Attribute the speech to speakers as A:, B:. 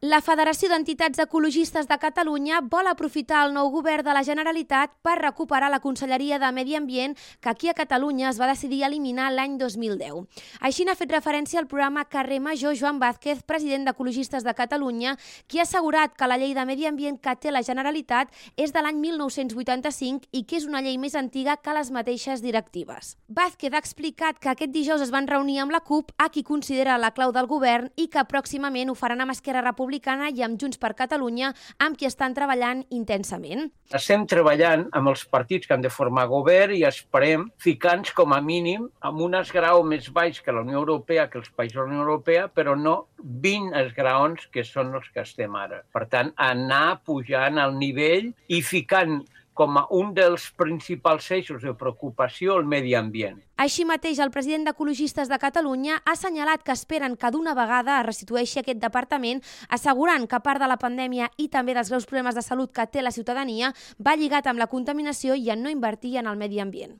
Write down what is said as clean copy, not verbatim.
A: La Federació d'Entitats Ecologistes de Catalunya vol aprofitar el nou govern de la Generalitat per recuperar la Conselleria de Medi Ambient que aquí a Catalunya es va decidir eliminar l'any 2010. Així n'ha fet referència al programa Carrer Major Joan Vázquez, president d'Ecologistes de Catalunya, qui ha assegurat que la llei de Medi Ambient que té la Generalitat és de l'any 1985 i que és una llei més antiga que les mateixes directives. Vázquez ha explicat que aquest dijous es van reunir amb la CUP, a qui considera la clau del govern, i que pròximament ho faran amb Esquerra Republicana i amb Junts per Catalunya, amb qui estan treballant intensament.
B: Estem treballant amb els partits que han de formar govern i esperem ficar-nos com a mínim amb un esgraó més baix que la Unió Europea, que els països de la Unió Europea, però no 20 esgraons que són els que estem ara. Per tant, anar pujant al nivell i ficant com a un dels principals eixos de preocupació el medi ambient.
A: Així mateix, el president d'Ecologistes de Catalunya ha assenyalat que esperen que d'una vegada es restitueixi aquest departament, assegurant que a part de la pandèmia i també dels greus problemes de salut que té la ciutadania, va lligat amb la contaminació i en no invertir en el medi ambient.